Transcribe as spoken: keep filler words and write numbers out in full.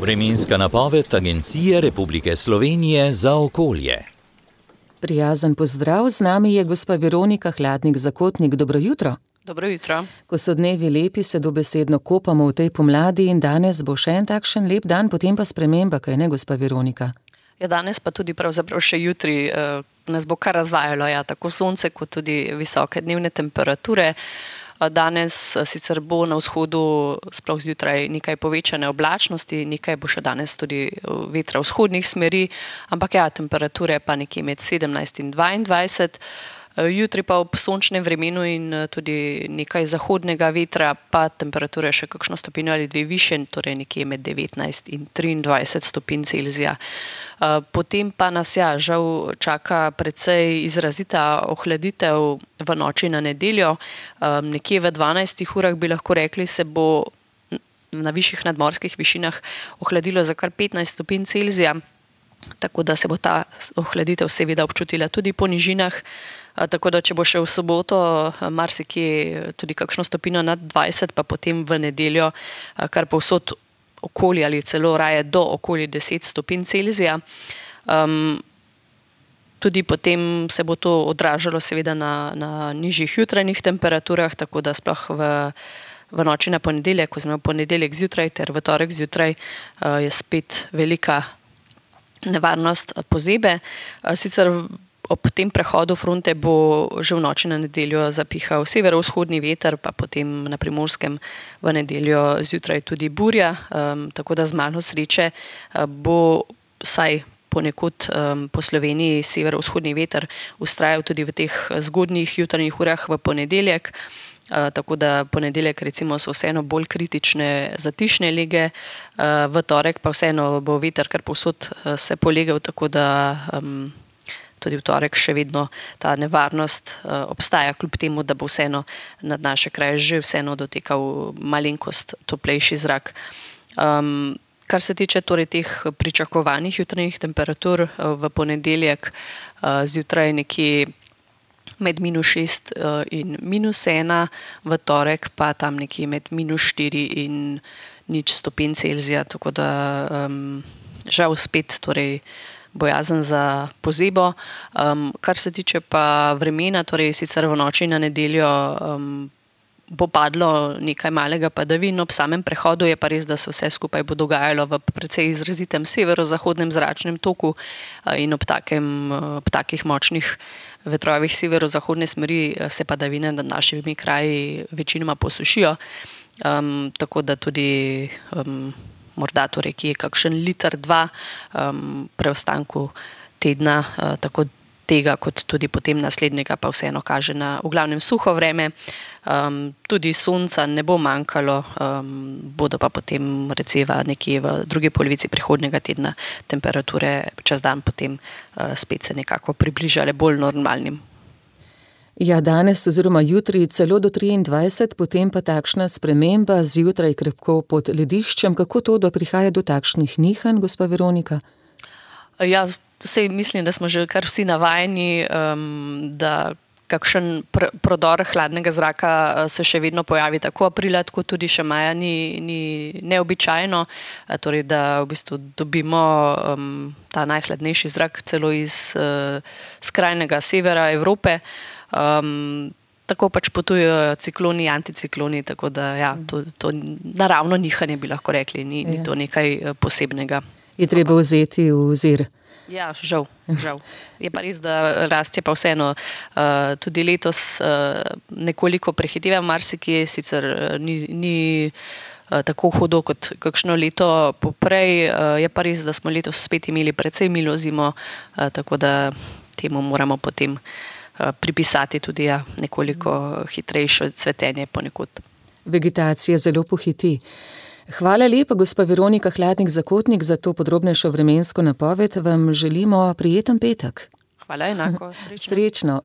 Vremenska napoved Agencije Republike Slovenije za okolje. Prijazen pozdrav, z nami je gospa Veronika Hladnik-Zakotnik. Dobro jutro. Dobro jutro. Ko so dnevi lepi, se dobesedno kopamo v tej pomladi in danes bo še en takšen lep dan, potem pa sprememba, kaj ne, gospa Veronika? Ja, danes pa tudi pravzaprav še jutri eh, nas bo kar razvajalo, ja, tako sonce kot tudi visoke dnevne temperature. Danes sicer bo na vzhodu sploh zjutraj nekaj povečane oblačnosti, nekaj bo še danes tudi vetra vzhodnih smeri, ampak ja, temperature pa nekje med sedemnajst in dvaindvajset. Jutri pa ob sončnem vremenu in tudi nekaj zahodnega vetra pa temperature še kakšno stopinjo ali dve višje, torej nekje med devetnajst in triindvajset stopinj Celzija. Potem pa nas ja, žal čaka precej izrazita ohladitev v noči na nedeljo. Nekje v dvanajstih urah bi lahko rekli, se bo na višjih nadmorskih višinah ohladilo za kar petnajst stopinj Celzija, tako da se bo ta ohladitev seveda občutila tudi po nižinah. Tako da, če bo še v soboto marsikje tudi kakšno stopinjo nad dvajset, pa potem v nedeljo kar povsod okoli ali celo raje do okoli deset stopinj Celzija. Um, tudi potem se bo to odražalo seveda na, na nižjih jutranjih temperaturah, tako da sploh v, v noči na ponedeljek, oziroma ponedeljek zjutraj ter v torek zjutraj uh, je spet velika nevarnost pozebe. Uh, sicer Ob tem prehodu fronte bo že v noči na nedeljo zapihal severovzhodni veter, pa potem na Primorskem v nedeljo zjutraj tudi burja, um, tako da z malo sreče uh, bo vsaj ponekod um, po Sloveniji severovzhodni veter vztrajal tudi v teh zgodnjih jutranjih urah v ponedeljek. Uh, tako da ponedeljek recimo so vseeno bolj kritične zatišne lege, uh, v torek pa vseeno bo veter kar povsod uh, se polegel, tako da um, tudi v torek še vedno ta nevarnost uh, obstaja, kljub temu, da bo vseeno nad naše kraje že vseeno dotekal malenkost toplejši zrak. Um, kar se tiče torej teh pričakovanih jutranjih temperatur uh, v ponedeljek uh, zjutraj nekje med minus šest uh, in minus ena, v torek pa tam nekje med minus štiri in nič stopinj Celzija, tako da um, žal spet torej bojazen za pozebo. Um, kar se tiče pa vremena, torej sicer v noči na nedeljo um, bo padlo nekaj malega padavin, ob samem prehodu je pa res, da se vse skupaj bo dogajalo v precej izrazitem severozahodnem zračnem toku uh, in ob, takem, ob takih močnih vetrovih severozahodne smeri se padavine nad našimi kraji večinoma posušijo, um, tako da tudi um, morda torej, ki je kakšen liter, dva um, preostanku tedna, uh, tako tega kot tudi potem naslednjega pa vseeno kaže na v glavnem suho vreme. Um, tudi sonca ne bo manjkalo, um, bodo pa potem recimo nekje v drugi polovici prihodnjega tedna temperature čez dan potem uh, spet se nekako približale bolj normalnim. Ja, danes oziroma jutri celo do triindvajset, potem pa takšna sprememba zjutraj krepko pod lediščem. Kako to, da prihaja do takšnih nihanj, gospa Veronika? Ja, sej mislim, da smo že kar vsi navajeni, um, da kakšen pr- prodor hladnega zraka se še vedno pojavi tako aprila, tako tudi še maja ni, ni neobičajno, torej da v bistvu dobimo um, ta najhladnejši zrak celo iz uh, skrajnega severa Evrope. Um, tako pač potujejo cikloni, anticikloni, tako da ja, to, to naravno nihanje bi lahko rekli, ni, ni to nekaj posebnega. Je treba vzeti v ozir. Ja, žal, žal. Je pa res, da rast je pa vseeno uh, tudi letos uh, nekoliko prehiteva marsikje, sicer uh, ni, ni uh, tako hudo kot kakšno leto poprej, uh, je pa res, da smo letos spet imeli precej milo zimo, uh, tako da temu moramo potem pripisati tudi ja, nekoliko hitrejše cvetenje ponekod. Vegetacija zelo pohiti. Hvala lepa, gospa Veronika Hladnik-Zakotnik, za to podrobnejšo vremensko napoved. Vam želimo prijeten petek. Hvala, enako. Srečno. Srečno.